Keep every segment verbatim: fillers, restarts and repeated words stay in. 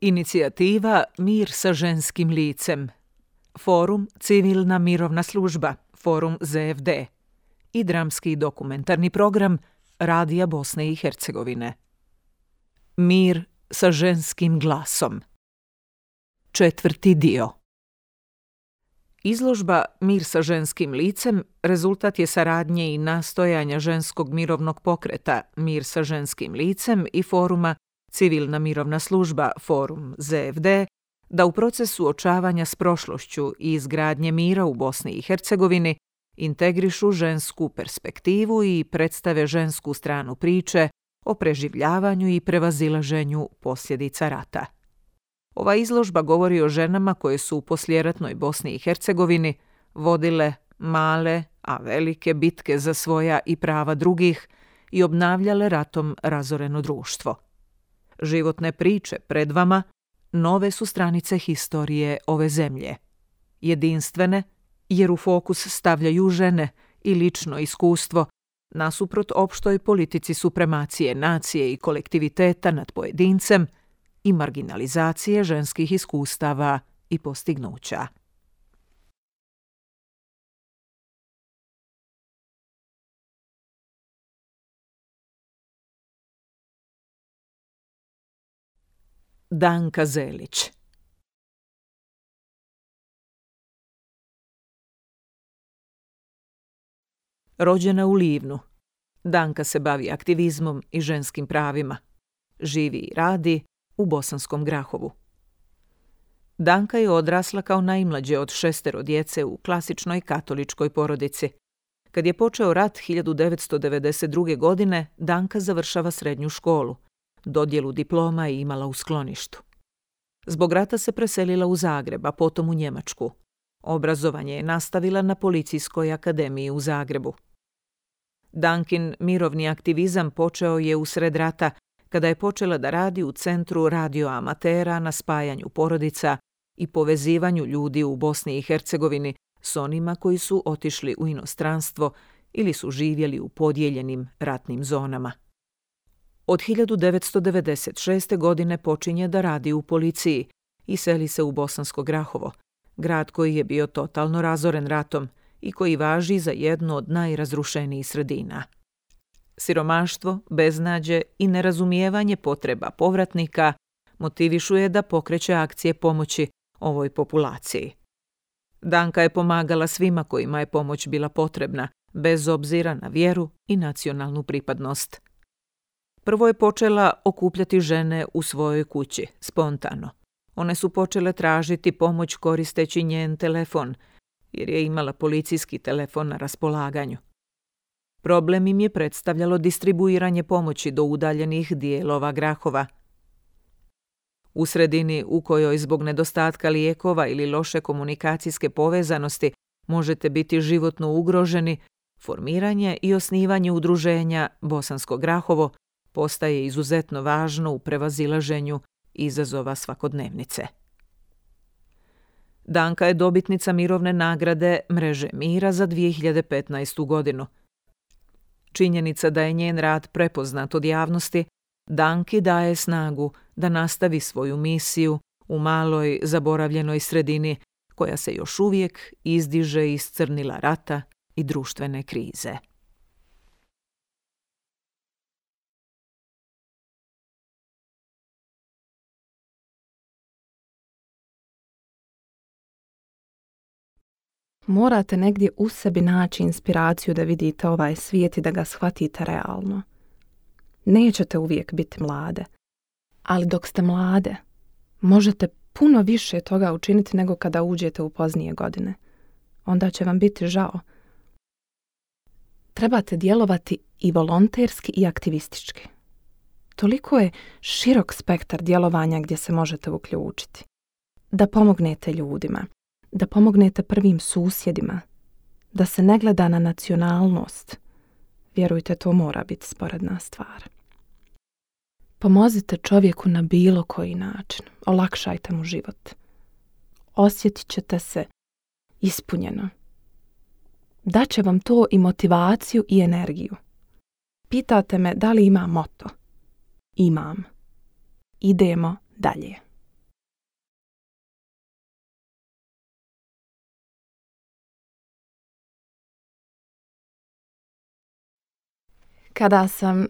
Inicijativa Mir sa ženskim licem, Forum Civilna mirovna služba, Forum Z F D i dramski dokumentarni program Radija Bosne i Hercegovine. Mir sa ženskim glasom. Četvrti dio. Izložba Mir sa ženskim licem rezultat je saradnje i nastojanja ženskog mirovnog pokreta Mir sa ženskim licem i foruma Civilna mirovna služba, Forum Z F D, da u procesu suočavanja s prošlošću i izgradnje mira u Bosni i Hercegovini integrišu žensku perspektivu i predstave žensku stranu priče o preživljavanju i prevazilaženju posljedica rata. Ova izložba govori o ženama koje su u poslijeratnoj Bosni i Hercegovini vodile male, a velike bitke za svoja i prava drugih i obnavljale ratom razoreno društvo. Životne priče pred vama nove su stranice historije ove zemlje. Jedinstvene, jer u fokus stavljaju žene i lično iskustvo, nasuprot opštoj politici supremacije nacije i kolektiviteta nad pojedincem i marginalizacije ženskih iskustava i postignuća. Danka Zelić. Rođena u Livnu, Danka se bavi aktivizmom i ženskim pravima. Živi i radi u Bosanskom Grahovu. Danka je odrasla kao najmlađe od šestero djece u klasičnoj katoličkoj porodici. Kad je počeo rat hiljadu devetsto devedeset druge. godine, Danka završava srednju školu. Dodjelu diploma je imala u skloništu. Zbog rata se preselila u Zagreb, a potom u Njemačku. Obrazovanje je nastavila na Policijskoj akademiji u Zagrebu. Dankin mirovni aktivizam počeo je usred rata, kada je počela da radi u Centru radioamatera na spajanju porodica i povezivanju ljudi u Bosni i Hercegovini s onima koji su otišli u inostranstvo ili su živjeli u podijeljenim ratnim zonama. Od hiljadu devetsto devedeset šeste. godine počinje da radi u policiji i seli se u Bosansko Grahovo, grad koji je bio totalno razoren ratom i koji važi za jednu od najrazrušenijih sredina. Siromaštvo, beznađe i nerazumijevanje potreba povratnika motivišu je da pokreće akcije pomoći ovoj populaciji. Danka je pomagala svima kojima je pomoć bila potrebna, bez obzira na vjeru i nacionalnu pripadnost. Prvo je počela okupljati žene u svojoj kući, spontano. One su počele tražiti pomoć koristeći njen telefon, jer je imala policijski telefon na raspolaganju. Problem im je predstavljalo distribuiranje pomoći do udaljenih dijelova Grahova. U sredini u kojoj zbog nedostatka lijekova ili loše komunikacijske povezanosti možete biti životno ugroženi, formiranje i osnivanje udruženja Bosansko Grahovo postaje izuzetno važno u prevazilaženju izazova svakodnevnice. Danka je dobitnica mirovne nagrade Mreže mira za dvije hiljade petnaestu. godinu. Činjenica da je njen rad prepoznat od javnosti Danki daje snagu da nastavi svoju misiju u maloj zaboravljenoj sredini koja se još uvijek izdiže iz crnila rata i društvene krize. Morate negdje u sebi naći inspiraciju da vidite ovaj svijet i da ga shvatite realno. Nećete uvijek biti mlade, ali dok ste mlade, možete puno više toga učiniti nego kada uđete u poznije godine. Onda će vam biti žao. Trebate djelovati i volonterski i aktivistički. Toliko je širok spektar djelovanja gdje se možete uključiti. Da pomognete ljudima, da pomognete prvim susjedima, da se ne gleda na nacionalnost. Vjerujte, to mora biti sporedna stvar. Pomozite čovjeku na bilo koji način. Olakšajte mu život. Osjetit ćete se ispunjeno. Daće vam to i motivaciju i energiju. Pitate me da li imam moto. Imam. Idemo dalje. Kada sam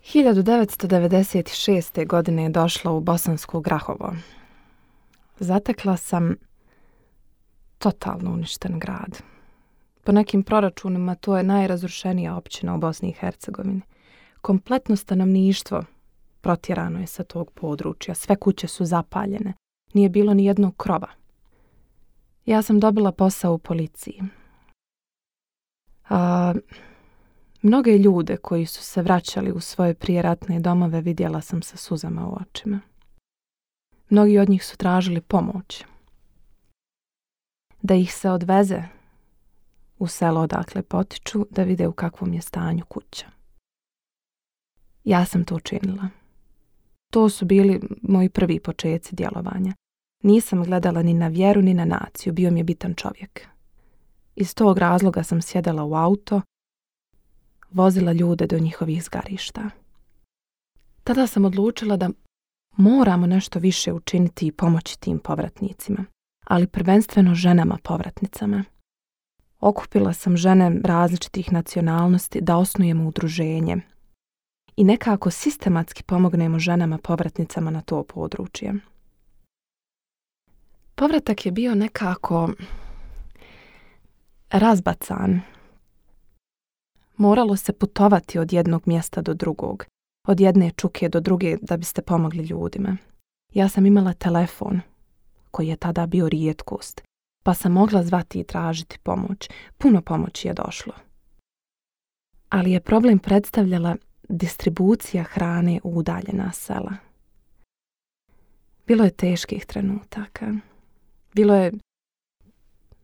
hiljadu devetsto devedeset šeste. godine došla u Bosansko Grahovo, zatekla sam totalno uništen grad. Po nekim proračunima to je najrazrušenija općina u Bosni i Hercegovini. Kompletno stanovništvo protjerano je sa tog područja. Sve kuće su zapaljene. Nije bilo ni jednog krova. Ja sam dobila posao u policiji. A, mnoge ljude koji su se vraćali u svoje prijeratne domove vidjela sam sa suzama u očima. Mnogi od njih su tražili pomoć. Da ih se odveze u selo odakle potiču, da vide u kakvom je stanju kuća. Ja sam to učinila. To su bili moji prvi počeci djelovanja. Nisam gledala ni na vjeru ni na naciju, bio mi je bitan čovjek. Iz tog razloga sam sjedala u auto, vozila ljude do njihovih zgarišta. Tada sam odlučila da moramo nešto više učiniti i pomoći tim povratnicima, ali prvenstveno ženama povratnicama. Okupila sam žene različitih nacionalnosti da osnujemo udruženje i nekako sistematski pomognemo ženama povratnicama na to područje. Povratak je bio nekako razbacan. Moralo se putovati od jednog mjesta do drugog, od jedne čuke do druge da biste pomogli ljudima. Ja sam imala telefon, koji je tada bio rijetkost, pa sam mogla zvati i tražiti pomoć. Puno pomoći je došlo. Ali je problem predstavljala distribucija hrane u udaljena sela. Bilo je teških trenutaka. Bilo je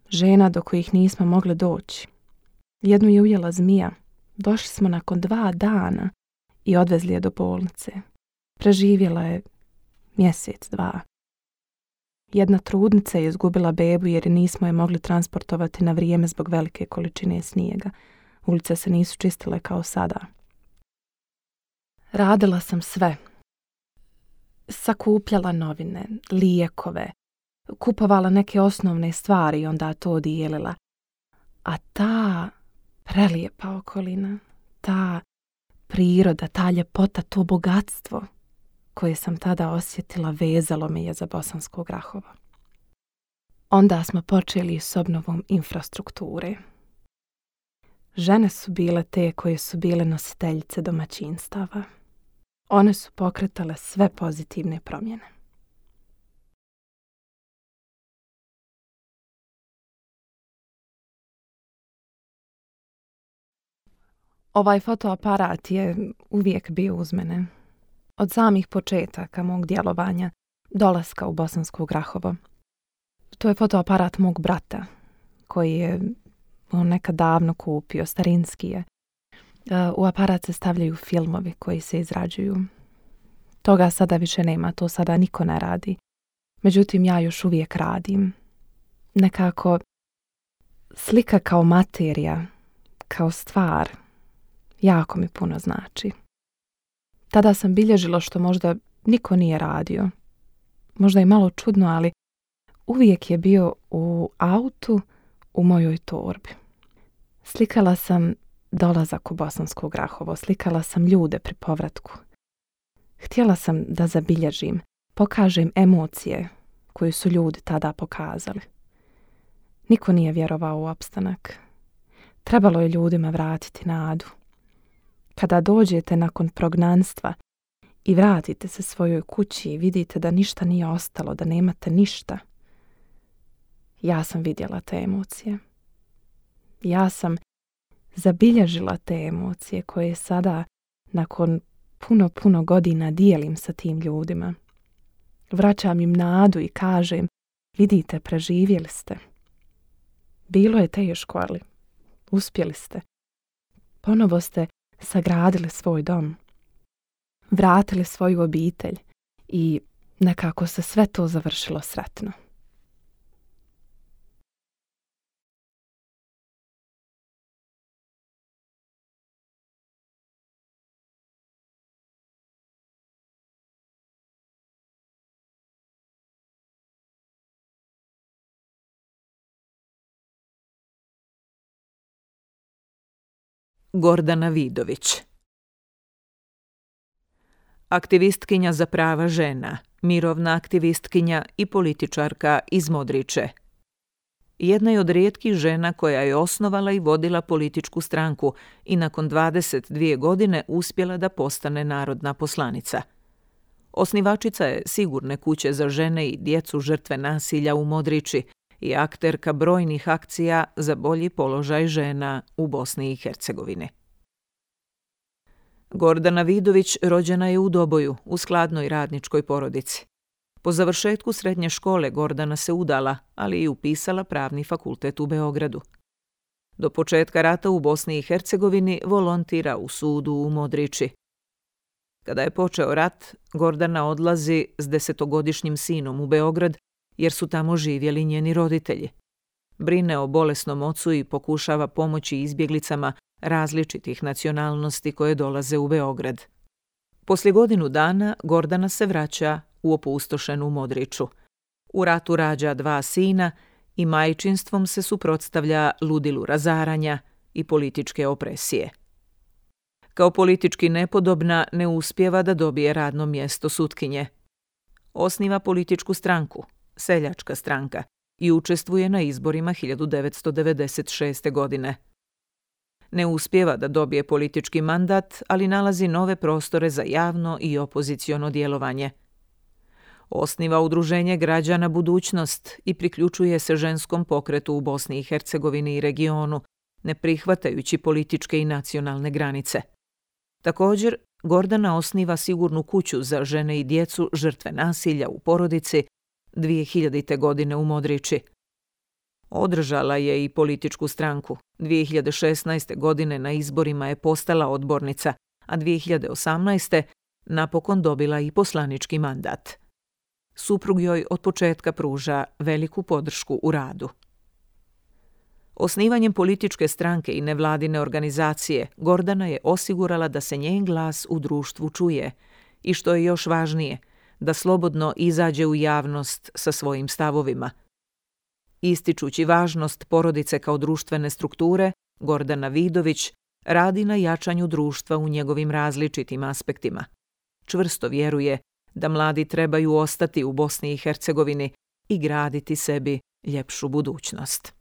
žena do kojih nismo mogli doći. Jednu je ujela zmija. Došli smo nakon dva dana i odvezli je do bolnice. Preživjela je mjesec, dva. Jedna trudnica je izgubila bebu jer nismo je mogli transportovati na vrijeme zbog velike količine snijega. Ulice se nisu čistile kao sada. Radila sam sve. Sakupljala novine, lijekove, kupovala neke osnovne stvari i onda to dijelila. A ta prelijepa okolina, ta priroda, ta ljepota, to bogatstvo koje sam tada osjetila vezalo me je za Bosansko Grahovo. Onda smo počeli s obnovom infrastrukture. Žene su bile te koje su bile nositeljice domaćinstava. One su pokretale sve pozitivne promjene. Ovaj fotoaparat je uvijek bio uz mene. Od samih početaka mog djelovanja, dolaska u Bosansko Grahovo. To je fotoaparat mog brata, koji je on nekad davno kupio, starinski je. U aparat se stavljaju filmovi koji se izrađuju. Toga sada više nema, to sada niko ne radi. Međutim, ja još uvijek radim. Nekako slika kao materija, kao stvar, jako mi puno znači. Tada sam bilježila što možda niko nije radio. Možda i malo čudno, ali uvijek je bio u autu u mojoj torbi. Slikala sam dolazak u Bosansko Grahovo, slikala sam ljude pri povratku. Htjela sam da zabilježim, pokažem emocije koje su ljudi tada pokazali. Niko nije vjerovao u opstanak. Trebalo je ljudima vratiti nadu. Kada dođete nakon prognanstva i vratite se svojoj kući i vidite da ništa nije ostalo, da nemate ništa, ja sam vidjela te emocije. Ja sam zabilježila te emocije koje sada nakon puno, puno godina dijelim sa tim ljudima. Vraćam im nadu i kažem, vidite, preživjeli ste. Bilo je teško, ali uspjeli ste. Ponovo ste sagradili svoj dom. Vratili svoju obitelj i nekako se sve to završilo sretno. Gordana Vidović. Aktivistkinja za prava žena, mirovna aktivistkinja i političarka iz Modriče. Jedna je od rijetkih žena koja je osnovala i vodila političku stranku i nakon dvadeset dvije godine uspjela da postane narodna poslanica. Osnivačica je Sigurne kuće za žene i djecu žrtve nasilja u Modriči i akterka brojnih akcija za bolji položaj žena u Bosni i Hercegovini. Gordana Vidović rođena je u Doboju, u skladnoj radničkoj porodici. Po završetku srednje škole Gordana se udala, ali i upisala pravni fakultet u Beogradu. Do početka rata u Bosni i Hercegovini volontira u sudu u Modriči. Kada je počeo rat, Gordana odlazi s desetogodišnjim sinom u Beograd, jer su tamo živjeli njeni roditelji. Brine o bolesnom ocu i pokušava pomoći izbjeglicama različitih nacionalnosti koje dolaze u Beograd. Poslije godinu dana Gordana se vraća u opustošenu Modriču. U ratu rađa dva sina i majčinstvom se suprotstavlja ludilu razaranja i političke opresije. Kao politički nepodobna ne uspijeva da dobije radno mjesto sutkinje. Osniva političku stranku, Seljačka stranka, i učestvuje na izborima hiljadu devetsto devedeset šeste. godine. Ne uspijeva da dobije politički mandat, ali nalazi nove prostore za javno i opoziciono djelovanje. Osniva udruženje građana Budućnost i priključuje se ženskom pokretu u Bosni i Hercegovini i regionu, ne prihvatajući političke i nacionalne granice. Također, Gordana osniva Sigurnu kuću za žene i djecu žrtve nasilja u porodici dvije hiljadite. godine u Modriči. Održala je i političku stranku. dvije hiljade šesnaeste. godine na izborima je postala odbornica, a dvije hiljade osamnaeste. napokon dobila i poslanički mandat. Suprug joj od početka pruža veliku podršku u radu. Osnivanjem političke stranke i nevladine organizacije, Gordana je osigurala da se njen glas u društvu čuje i, što je još važnije, da slobodno izađe u javnost sa svojim stavovima. Ističući važnost porodice kao društvene strukture, Gordana Vidović radi na jačanju društva u njegovim različitim aspektima. Čvrsto vjeruje da mladi trebaju ostati u Bosni i Hercegovini i graditi sebi ljepšu budućnost.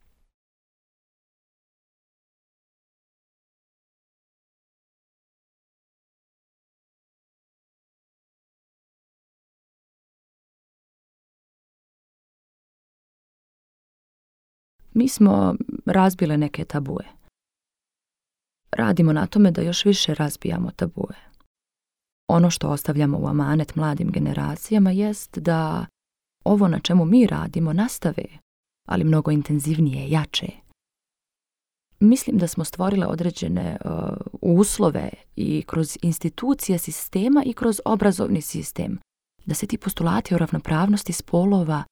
Mi smo razbile neke tabue. Radimo na tome da još više razbijamo tabue. Ono što ostavljamo u amanet mladim generacijama jest da ovo na čemu mi radimo nastave, ali mnogo intenzivnije, jače. Mislim da smo stvorile određene uh, uslove i kroz institucije sistema i kroz obrazovni sistem, da se ti postulati o ravnopravnosti spolova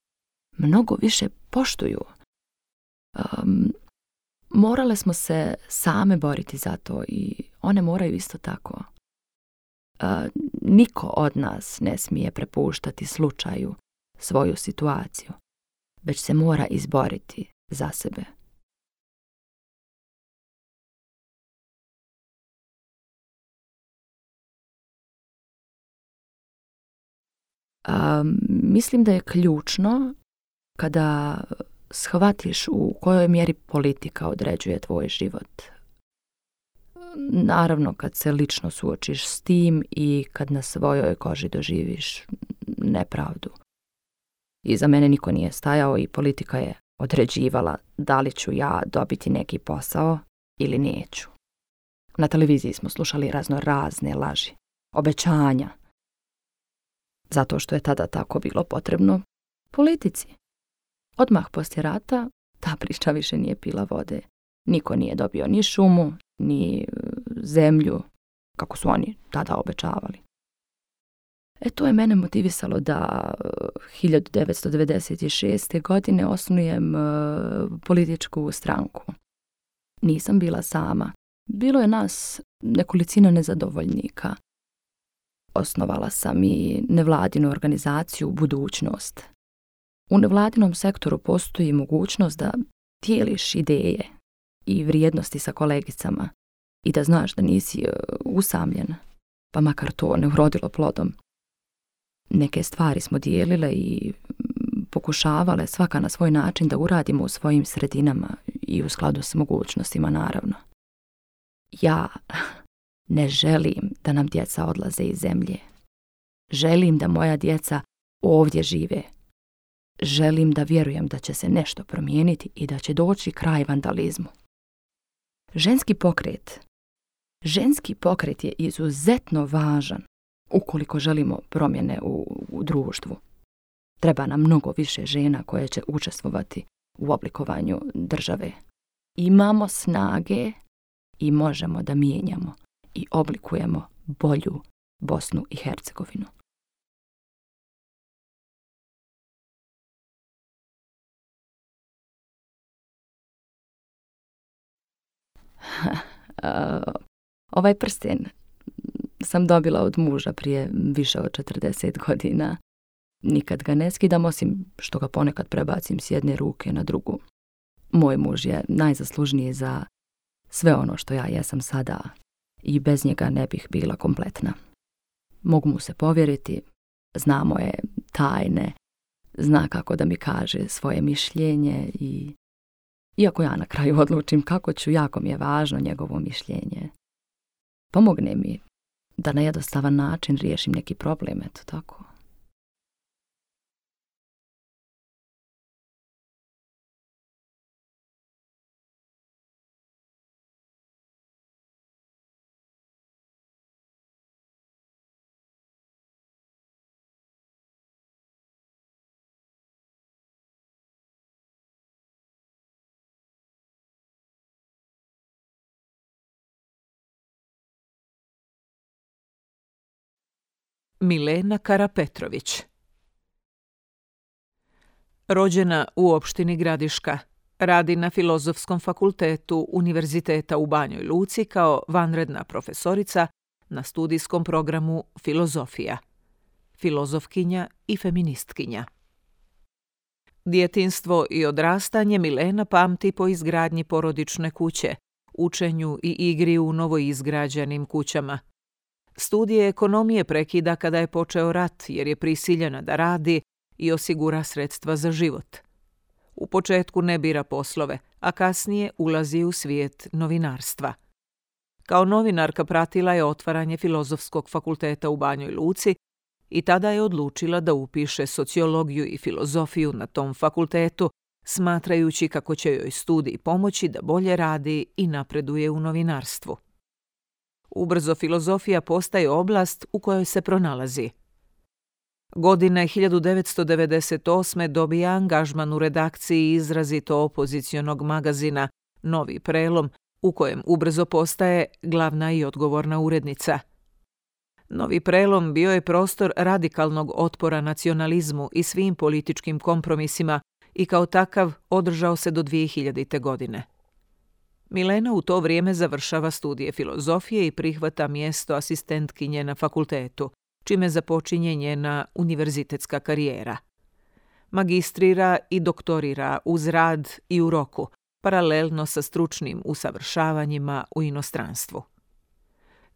mnogo više poštuju. Um, morale smo se same boriti za to i one moraju isto tako. Uh, niko od nas ne smije prepuštati slučaju svoju situaciju, već se mora izboriti za sebe. Um, mislim da je ključno kada shvatiš u kojoj mjeri politika određuje tvoj život. Naravno, kad se lično suočiš s tim i kad na svojoj koži doživiš nepravdu. I za mene niko nije stajao i politika je određivala da li ću ja dobiti neki posao ili neću. Na televiziji smo slušali razno razne laži, obećanja. Zato što je tada tako bilo potrebno politici. Odmah poslije rata ta priča više nije pila vode. Niko nije dobio ni šumu, ni zemlju, kako su oni tada obećavali. E to je mene motivisalo da hiljadu devetsto devedeset šeste. godine osnujem uh, političku stranku. Nisam bila sama. Bilo je nas nekolicina nezadovoljnika. Osnovala sam i nevladinu organizaciju Budućnost. U nevladinom sektoru postoji mogućnost da dijeliš ideje i vrijednosti sa kolegicama i da znaš da nisi usamljen, pa makar to ne urodilo plodom. Neke stvari smo dijelile i pokušavale svaka na svoj način da uradimo u svojim sredinama i u skladu s mogućnostima, naravno. Ja ne želim da nam djeca odlaze iz zemlje. Želim da moja djeca ovdje žive. Želim da vjerujem da će se nešto promijeniti i da će doći kraj vandalizmu. Ženski pokret. Ženski pokret je izuzetno važan ukoliko želimo promjene u, u društvu. Treba nam mnogo više žena koje će učestvovati u oblikovanju države. Imamo snage i možemo da mijenjamo i oblikujemo bolju Bosnu i Hercegovinu. Ovaj prsten sam dobila od muža prije više od četrdeset godina. Nikad ga ne skidam, osim što ga ponekad prebacim s jedne ruke na drugu. Moj muž je najzaslužniji za sve ono što ja jesam sada i bez njega ne bih bila kompletna. Mogu mu se povjeriti, zna moje tajne, zna kako da mi kaže svoje mišljenje i iako ja na kraju odlučim kako ću, jako mi je važno njegovo mišljenje. Pomogne mi da na jednostavan način riješim neki problem, eto tako. Milena Karapetrović. Rođena u opštini Gradiška, radi na Filozofskom fakultetu Univerziteta u Banjoj Luci kao vanredna profesorica na studijskom programu Filozofija, filozofkinja i feministkinja. Djetinjstvo i odrastanje Milena pamti po izgradnji porodične kuće, učenju i igri u novoizgrađenim kućama. Studije ekonomije prekida kada je počeo rat jer je prisiljena da radi i osigura sredstva za život. U početku ne bira poslove, a kasnije ulazi u svijet novinarstva. Kao novinarka pratila je otvaranje Filozofskog fakulteta u Banjoj Luci i tada je odlučila da upiše sociologiju i filozofiju na tom fakultetu, smatrajući kako će joj studij pomoći da bolje radi i napreduje u novinarstvu. Ubrzo filozofija postaje oblast u kojoj se pronalazi. Godine hiljadu devetsto devedeset osme dobija angažman u redakciji izrazito opozicionog magazina Novi prelom, u kojem ubrzo postaje glavna i odgovorna urednica. Novi prelom bio je prostor radikalnog otpora nacionalizmu i svim političkim kompromisima i kao takav održao se do dvije hiljadite. godine. Milena u to vrijeme završava studije filozofije i prihvata mjesto asistentkinje na fakultetu, čime započinje njena univerzitetska karijera. Magistrira i doktorira uz rad i u roku, paralelno sa stručnim usavršavanjima u inostranstvu.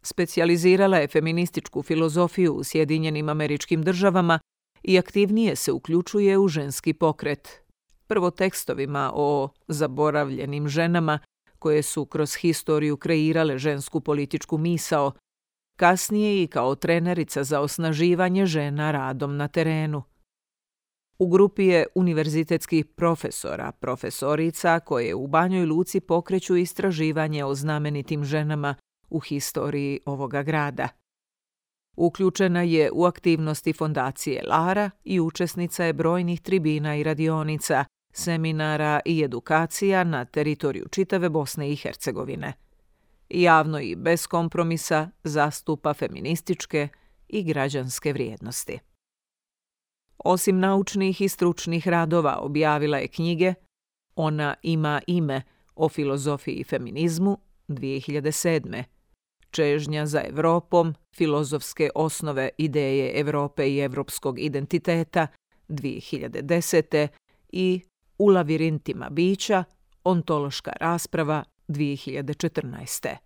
Specijalizirala je feminističku filozofiju u Sjedinjenim Američkim Državama i aktivnije se uključuje u ženski pokret, prvo tekstovima o zaboravljenim ženama koje su kroz historiju kreirale žensku političku misao, kasnije i kao trenerica za osnaživanje žena radom na terenu. U grupi je univerzitetskih profesora, profesorica koje u Banjoj Luci pokreću istraživanje o znamenitim ženama u historiji ovoga grada. Uključena je u aktivnosti fondacije Lara i učesnica je brojnih tribina i radionica, seminara i edukacija na teritoriju čitave Bosne i Hercegovine. Javno i bez kompromisa zastupa feminističke i građanske vrijednosti. Osim naučnih i stručnih radova objavila je knjige Ona ima ime o filozofiji i feminizmu dvije hiljade sedme, Čežnja za Evropom, filozofske osnove ideje Evrope i evropskog identiteta dvije hiljade desete i U lavirintima bića, ontološka rasprava dvije hiljade četrnaeste.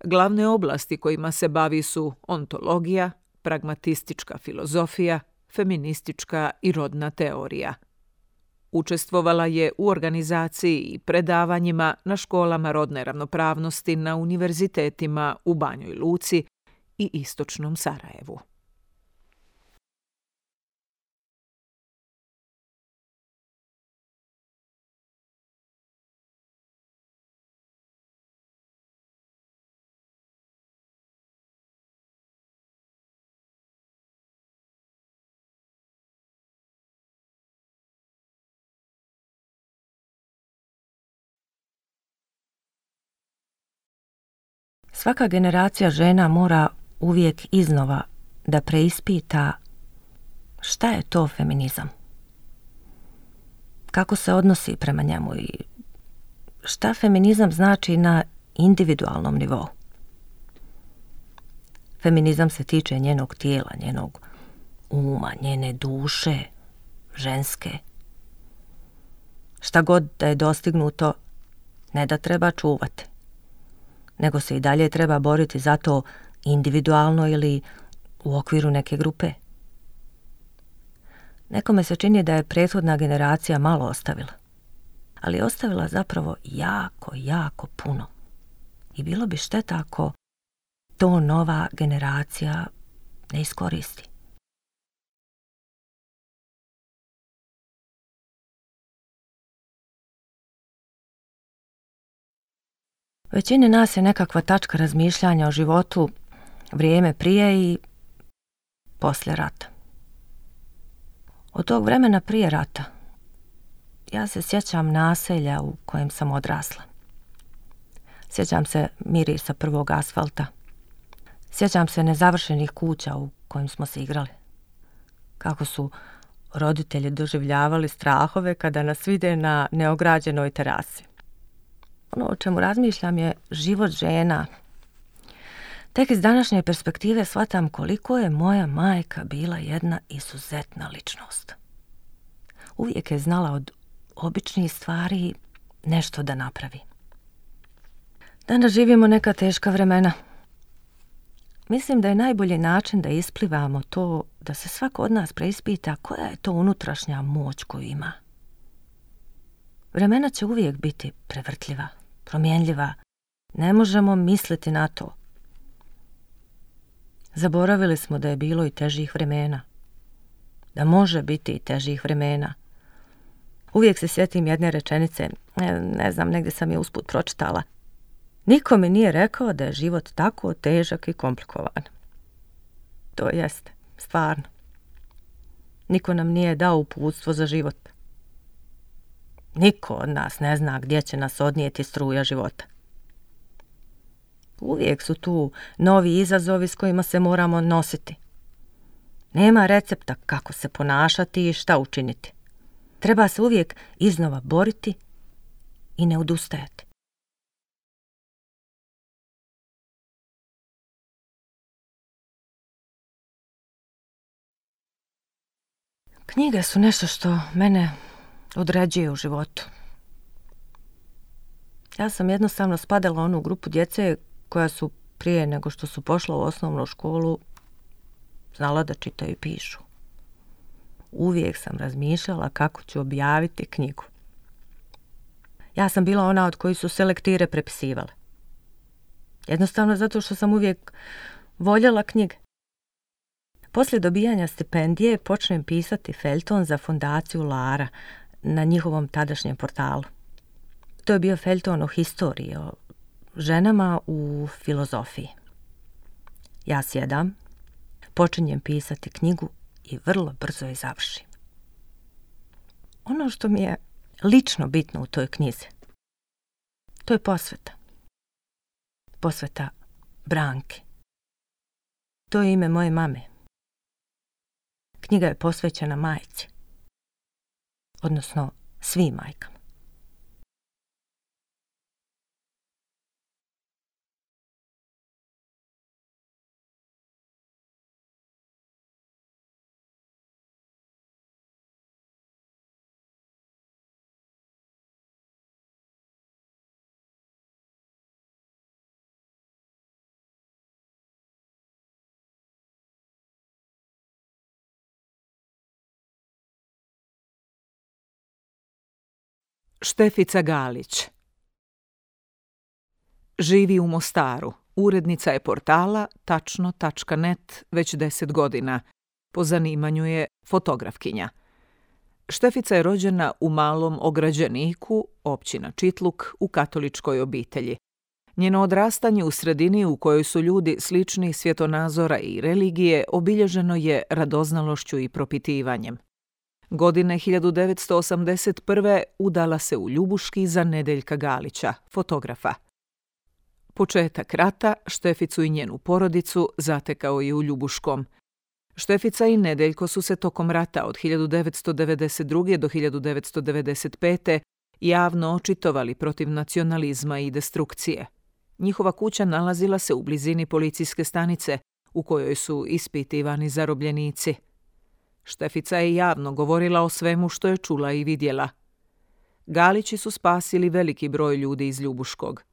Glavne oblasti kojima se bavi su ontologija, pragmatistička filozofija, feministička i rodna teorija. Učestvovala je u organizaciji i predavanjima na školama rodne ravnopravnosti na univerzitetima u Banjoj Luci i istočnom Sarajevu. Svaka generacija žena mora uvijek iznova da preispita šta je to feminizam, kako se odnosi prema njemu i šta feminizam znači na individualnom nivou. Feminizam se tiče njenog tijela, njenog uma, njene duše, ženske. Šta god da je dostignuto, ne da treba čuvati, nego se i dalje treba boriti za to individualno ili u okviru neke grupe. Nekome se čini da je prethodna generacija malo ostavila, ali je ostavila zapravo jako, jako puno. I bilo bi šteta ako to nova generacija ne iskoristi. Većini nas je nekakva tačka razmišljanja o životu vrijeme prije i poslije rata. Od tog vremena prije rata ja se sjećam naselja u kojem sam odrasla. Sjećam se mirisa prvog asfalta. Sjećam se nezavršenih kuća u kojim smo se igrali. Kako su roditelji doživljavali strahove kada nas vide na neograđenoj terasi. Ono o čemu razmišljam je život žena. Tek iz današnje perspektive shvatam koliko je moja majka bila jedna izuzetna ličnost. Uvijek je znala od običnih stvari nešto da napravi. Danas živimo neka teška vremena. Mislim da je najbolji način da isplivamo to da se svako od nas preispita koja je to unutrašnja moć koju ima. Vremena će uvijek biti prevrtljiva, promjenljiva. Ne možemo misliti na to. Zaboravili smo da je bilo i težih vremena. Da može biti i težih vremena. Uvijek se sjetim jedne rečenice, ne, ne znam, negdje sam je usput pročitala. Niko mi nije rekao da je život tako težak i komplikovan. To jeste, stvarno. Niko nam nije dao uputstvo za život. Niko od nas ne zna gdje će nas odnijeti struja života. Uvijek su tu novi izazovi s kojima se moramo nositi. Nema recepta kako se ponašati i šta učiniti. Treba se uvijek iznova boriti i ne odustajati. Knjige su nešto što mene određuje u životu. Ja sam jednostavno spadala u onu grupu djece koja su prije nego što su pošla u osnovnu školu znala da čitaju i pišu. Uvijek sam razmišljala kako ću objaviti knjigu. Ja sam bila ona od koji su se lektire prepisivale. Jednostavno zato što sam uvijek voljela knjige. Poslije dobijanja stipendije počnem pisati feljton za fondaciju Lara na njihovom tadašnjem portalu. To je bio feljton o historiji, o ženama u filozofiji. Ja sjedam, počinjem pisati knjigu i vrlo brzo je završim. Ono što mi je lično bitno u toj knjizi, to je posveta. Posveta Branki. To je ime moje mame. Knjiga je posvećena majci, odnosno svim majkama. Štefica Galić. Živi u Mostaru. Urednica je portala tačno tačka net već deset godina. Po zanimanju je fotografkinja. Štefica je rođena u Malom Ograđeniku, općina Čitluk, u katoličkoj obitelji. Njeno odrastanje u sredini u kojoj su ljudi sličnih svjetonazora i religije obilježeno je radoznalošću i propitivanjem. Godine hiljadu devetsto osamdeset prve udala se u Ljubuški za Nedeljka Galića, fotografa. Početak rata Šteficu i njenu porodicu zatekao je u Ljubuškom. Štefica i Nedeljko su se tokom rata od hiljadu devetsto devedeset druge. do hiljadu devetsto devedeset pete. javno očitovali protiv nacionalizma i destrukcije. Njihova kuća nalazila se u blizini policijske stanice u kojoj su ispitivani zarobljenici. Štefica je javno govorila o svemu što je čula i vidjela. Galići su spasili veliki broj ljudi iz Ljubuškog.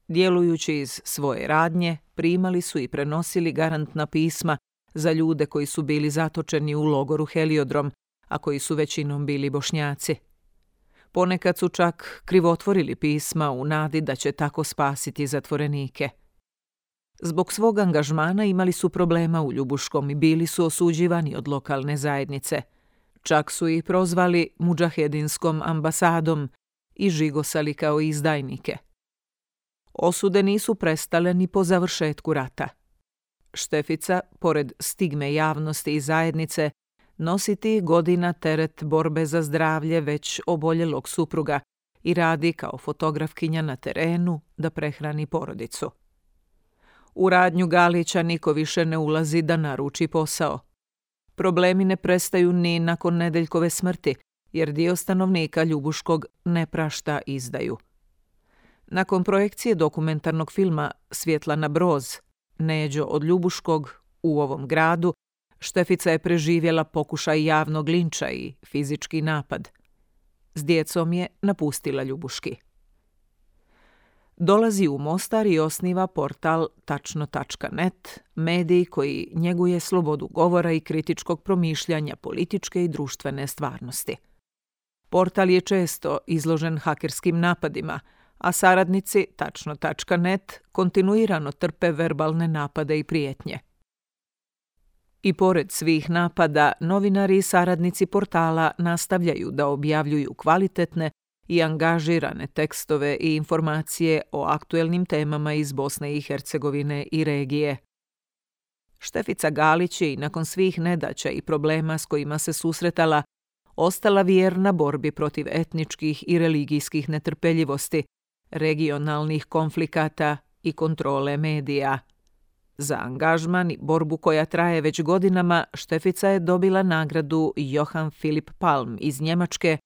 Djelujući iz svoje radnje, primali su i prenosili garantna pisma za ljude koji su bili zatočeni u logoru Heliodrom, a koji su većinom bili Bošnjaci. Ponekad su čak krivotvorili pisma u nadi da će tako spasiti zatvorenike. Zbog svog angažmana imali su problema u Ljubuškom i bili su osuđivani od lokalne zajednice. Čak su ih prozvali mudžahedinskom ambasadom i žigosali kao izdajnike. Osude nisu prestale ni po završetku rata. Štefica, pored stigme javnosti i zajednice, nosi tih godina teret borbe za zdravlje već oboljelog supruga i radi kao fotografkinja na terenu da prehrani porodicu. U radnju Galića niko više ne ulazi da naruči posao. Problemi ne prestaju ni nakon Nedeljkove smrti, jer dio stanovnika Ljubuškog ne prašta izdaju. Nakon projekcije dokumentarnog filma Svjetlana Broz, Neđo od Ljubuškog, u ovom gradu, Štefica je preživjela pokušaj javnog linča i fizički napad. S djecom je napustila Ljubuški. Dolazi u Mostar i osniva portal tačno tačka net, medij koji njeguje slobodu govora i kritičkog promišljanja političke i društvene stvarnosti. Portal je često izložen hakerskim napadima, a saradnici tačno tačka net kontinuirano trpe verbalne napade i prijetnje. I pored svih napada, novinari i saradnici portala nastavljaju da objavljuju kvalitetne i angažirane tekstove i informacije o aktuelnim temama iz Bosne i Hercegovine i regije. Štefica Galić je i nakon svih nedaća i problema s kojima se susretala ostala vjerna borbi protiv etničkih i religijskih netrpeljivosti, regionalnih konflikata i kontrole medija. Za angažman i borbu koja traje već godinama, Štefica je dobila nagradu Johann Philipp Palm iz Njemačke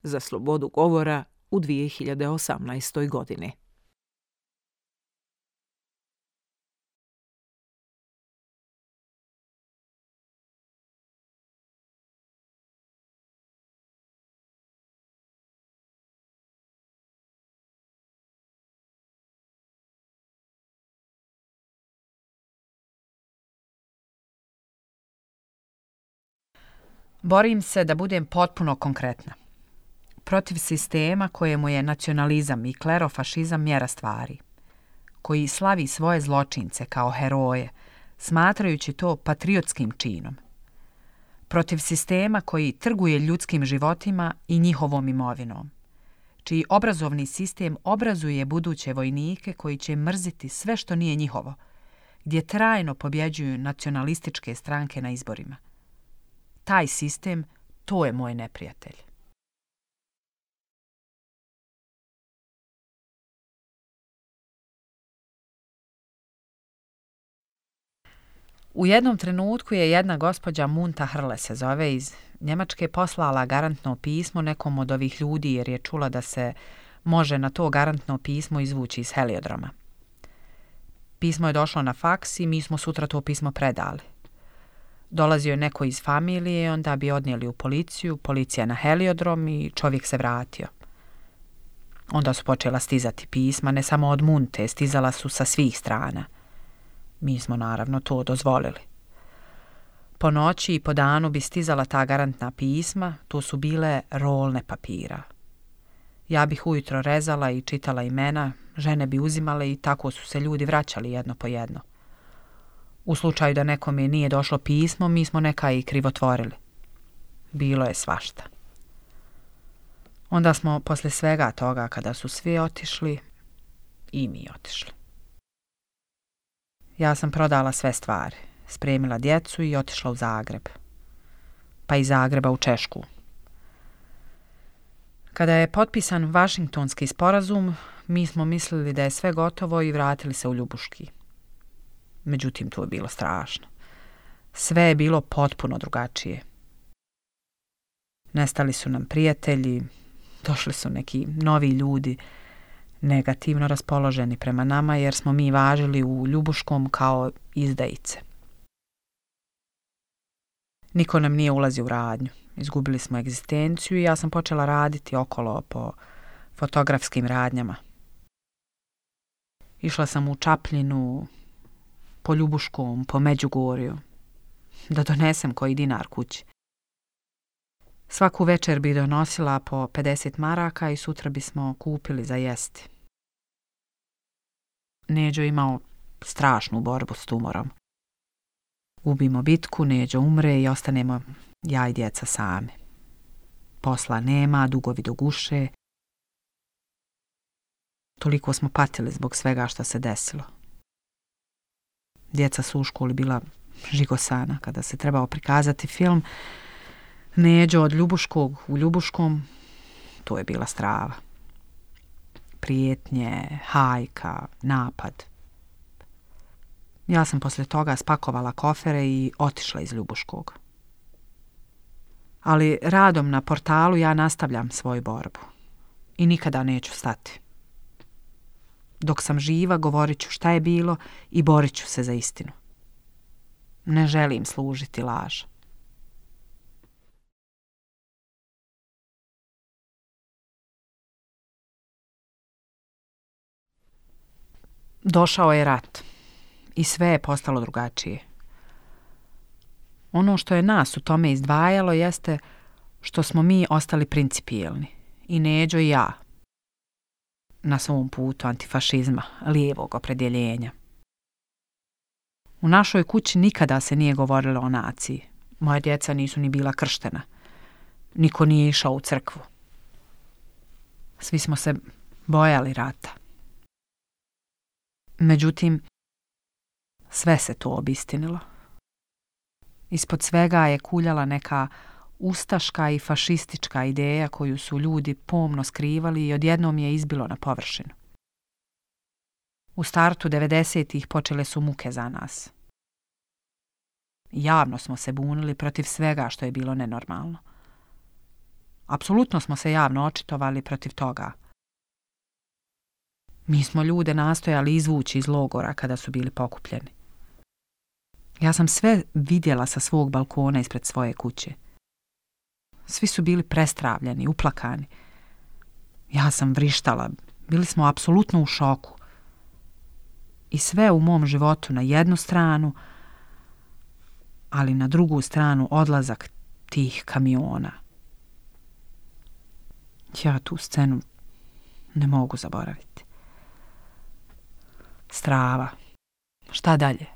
za slobodu govora u dvije hiljade osamnaestoj. godini. Borim se da budem potpuno konkretna. Protiv sistema kojemu je nacionalizam i klerofašizam mjera stvari, koji slavi svoje zločince kao heroje, smatrajući to patriotskim činom. Protiv sistema koji trguje ljudskim životima i njihovom imovinom, čiji obrazovni sistem obrazuje buduće vojnike koji će mrziti sve što nije njihovo, gdje trajno pobjeđuju nacionalističke stranke na izborima. Taj sistem, to je moj neprijatelj. U jednom trenutku je jedna gospođa Munta Hrle se zove iz Njemačke poslala garantno pismo nekom od ovih ljudi jer je čula da se može na to garantno pismo izvući iz Heliodroma. Pismo je došlo na faks i mi smo sutra to pismo predali. Dolazio je neko iz familije, onda bi odnijeli u policiju, policija na Heliodrom i čovjek se vratio. Onda su počela stizati pisma, ne samo od Munte, stizala su sa svih strana. Mi smo naravno to dozvolili. Po noći i po danu bi stizala ta garantna pisma, to su bile rolne papira. Ja bih ujutro rezala i čitala imena, žene bi uzimale i tako su se ljudi vraćali jedno po jedno. U slučaju da nekome nije došlo pismo, mi smo neka i krivotvorili. Bilo je svašta. Onda smo posle svega toga, kada su svi otišli, i mi otišli. Ja sam prodala sve stvari, spremila djecu i otišla u Zagreb. Pa iz Zagreba u Češku. Kada je potpisan Vašingtonski sporazum, mi smo mislili da je sve gotovo i vratili se u Ljubuški. Međutim, to je bilo strašno. Sve je bilo potpuno drugačije. Nestali su nam prijatelji, došli su neki novi ljudi, negativno raspoloženi prema nama jer smo mi važili u Ljubuškom kao izdajice. Niko nam nije ulazio u radnju. Izgubili smo egzistenciju i ja sam počela raditi okolo po fotografskim radnjama. Išla sam u Čapljinu, po Ljubuškom, po Međugorju, da donesem koji dinar kući. Svaku večer bi donosila po pedeset maraka i sutra bismo kupili za jesti. Neđo imao strašnu borbu s tumorom. Gubimo bitku, Neđo umre i ostanemo ja i djeca sami. Posla nema, dugovi do guše. Toliko smo patili zbog svega što se desilo. Djeca su u školi bila žigosana kada se trebao prikazati film. Neđo od Ljubuškog u Ljubuškom, to je bila strava. Prijetnje, hajka, napad. Ja sam poslije toga spakovala kofere i otišla iz Ljubuškog. Ali radom na portalu ja nastavljam svoju borbu. I nikada neću stati. Dok sam živa, govorit ću šta je bilo i borit ću se za istinu. Ne želim služiti laž. Došao je rat i sve je postalo drugačije. Ono što je nas u tome izdvajalo jeste što smo mi ostali principijelni, i Neđo i ja, na svom putu antifašizma, lijevog opredjeljenja. U našoj kući nikada se nije govorilo o naciji. Moja djeca nisu ni bila krštena. Niko nije išao u crkvu. Svi smo se bojali rata. Međutim, sve se to obistinilo. Ispod svega je kuljala neka ustaška i fašistička ideja koju su ljudi pomno skrivali i odjednom je izbilo na površinu. U startu devedesetih počele su muke za nas. Javno smo se bunili protiv svega što je bilo nenormalno. Apsolutno smo se javno očitovali protiv toga. Mi smo ljude nastojali izvući iz logora kada su bili pokupljeni. Ja sam sve vidjela sa svog balkona ispred svoje kuće. Svi su bili prestravljeni, uplakani. Ja sam vrištala, bili smo apsolutno u šoku. I sve u mom životu na jednu stranu, ali na drugu stranu odlazak tih kamiona. Ja tu scenu ne mogu zaboraviti. Strava. Šta dalje?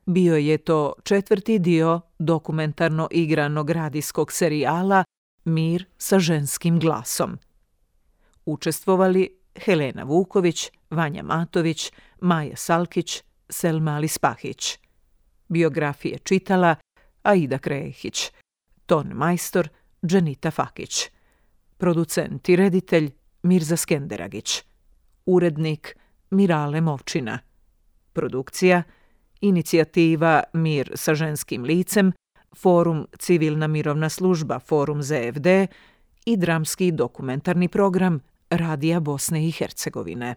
Bio je to četvrti dio dokumentarno igranog radijskog serijala Mir sa ženskim glasom. Učestvovali Helena Vuković, Vanja Matović, Maja Salkić, Selma Alispahić. Biografije čitala Aida Krehić, ton majstor Dženita Fakić, producent i reditelj Mirza Skenderagić, urednik Mirale Movčina, produkcija Inicijativa Mir sa ženskim licem, Forum Civilna mirovna služba, Forum Z F D i dramski dokumentarni program Radija Bosne i Hercegovine.